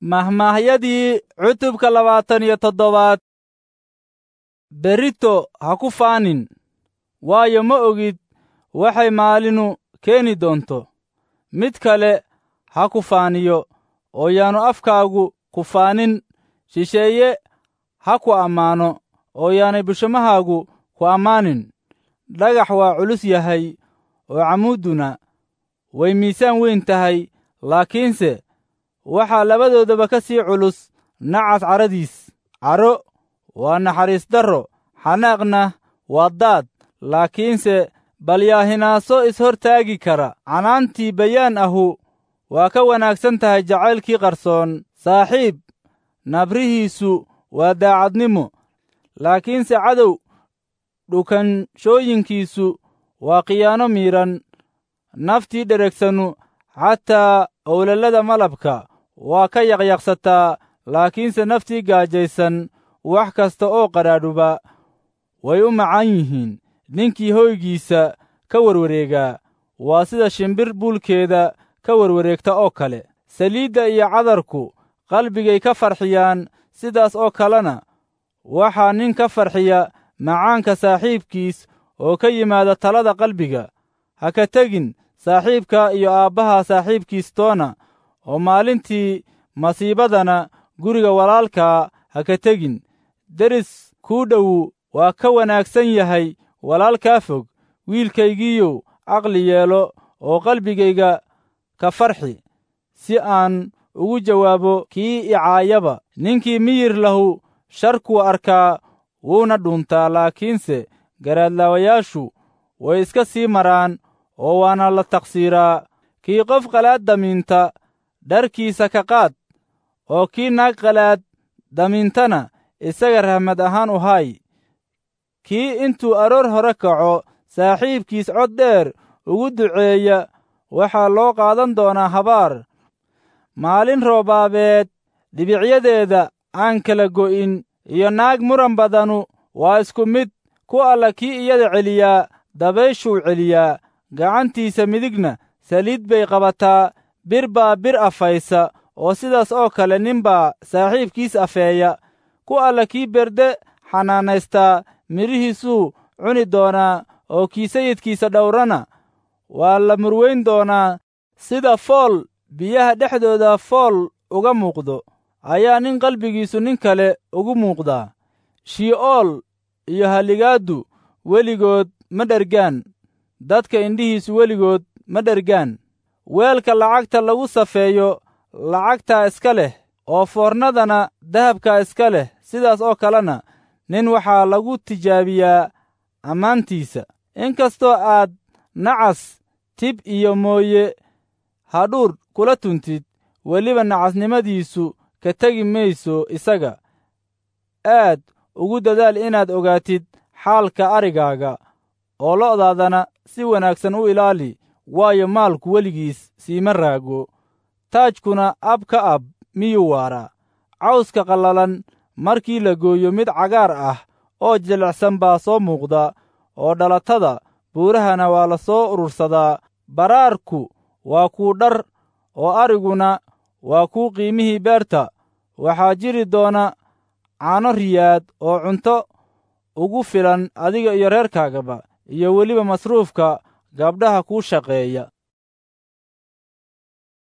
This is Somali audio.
Mahmaahyadii cutubka 27. Berrito ha ku faanin, waayo ma ogid waxay maalinu keeni doonto. Mid kale ha ku faaniyo, oo yaanu afkaagu ku faanin. Shisheeye ha ku ammaano, oo yaanay bushimahaagu ku ammaanin. Dhagax waa culus yahay, oo cammuudduna way miisaan weyn tahay, laakiinse waxaa labadoodaba ka sii culus nacas carradiis. Caro waa naxariis darro, xanaaqna waa daad, laakiinse bal yaa hinaaso is-hortaagi kara? Canaantii bayaan ahu waa ka wanaagsan tahay jacaylkii qarsoon. Saaxiib nabrihiisu waa daacadnimo, laakiinse cadow dhukanshooyinkiisu waa khiyaano miidhan. Naftii dheregsanu xataa owlalada malabka waa ka yaqyaqsataa, laakiinse naftii gaajaysan wax kasta oo qadhaadhuba way u macaan yihiin. Ninkii hoygiisa ka warwareegaa waa sida shimbir buulkeeda ka warwareegta oo kale. Saliidda iyo cadarku qalbigay ka farxiyaan, sidaas oo kalena waxaa nin ka farxiya macaanka saaxiibkiis oo ka yimaada talada qalbiga. Ha ka tegin saaxiibka iyo aabbaha saaxiibkiis toona, oo maalintii masiibadana guriga walaalkaa ha ka tegin. Deris kuu dhowu waa ka wanaagsan yahay walaalkaa fog. Wiilkaygiiyow, caqli yeelo oo qalbigayga ka farxi, si aan ugu jawaabo kii i caayaba. Ninkii miyir lahu sharkuu arkaa wuuna dhuuntaa, laakiinse garaadlaawayaashu way iska sii maraan oo waana la taqsiiraa. Kii qof qalaad damiinta dharkiisa ka qaad, oo kii naag qalaad damiintana isaga rahmad ahaan u hay. Kii intuu aroor hore kaco saaxiibkiis cod dheer ugu duceeya waxaa loo qaadan doonaa habaar. Maalin roobaabeed dhibicyadeeda aan kala go'in iyo naag muran badanu waa isku mid. Ku alla kii iyada celiyaa dabayshuu celiyaa, gacantiisa midigna saliid bay qabataa. Bir baa bir afaysa, oo sidaas oo kale nin baa saaxiibkiis afeeya. Ku alla kii berde xanaanaystaa midhihiisuu cuni doonaa, oo kii sayidkiisa dhowrana waa la murweyn doonaa. Sida fool biyaha dhexdooda fool uga muuqdo ayaa nin qalbigiisu nin kale ugu muuqdaa. Shii'ool iyo halligaaddu weligood ma dhergaan, dadka indhihiisu weligood ma dhergaan. Weelka lacagta lagu safeeyo lacagtaa iska leh, oo foornadana dahabkaa iska leh. Sidaas oo kalena nin waxaa lagu tijaabiyaa ammaantiisa. Inkastoo aad nacas tib iyo mooye hadhuudh kula tuntid, weliba nacasnimadiisu ka tegi mayso isaga. Aad ugu dadaal inaad ogaatid xaalka arigaaga, oo lo'daadana si wanaagsan u ilaali, waayo maalku weligiis siima raago. Taajkuna ab ka ab miyuu waaraa? Cawska qallalan markii la gooyo mid cagaar ah oo jilicsan baa soo muuqda, oo dhalatada buurahana waa la soo urursadaa. Baraarku waa kuu dhar, oo ariguna waa kuu qiimihii beerta. Waxaa jiri doona caano riyaad oo cunto ugu filan adiga iyo reerkaagaba, iyo weliba masruufka gabdhaha kuu shaqeeya.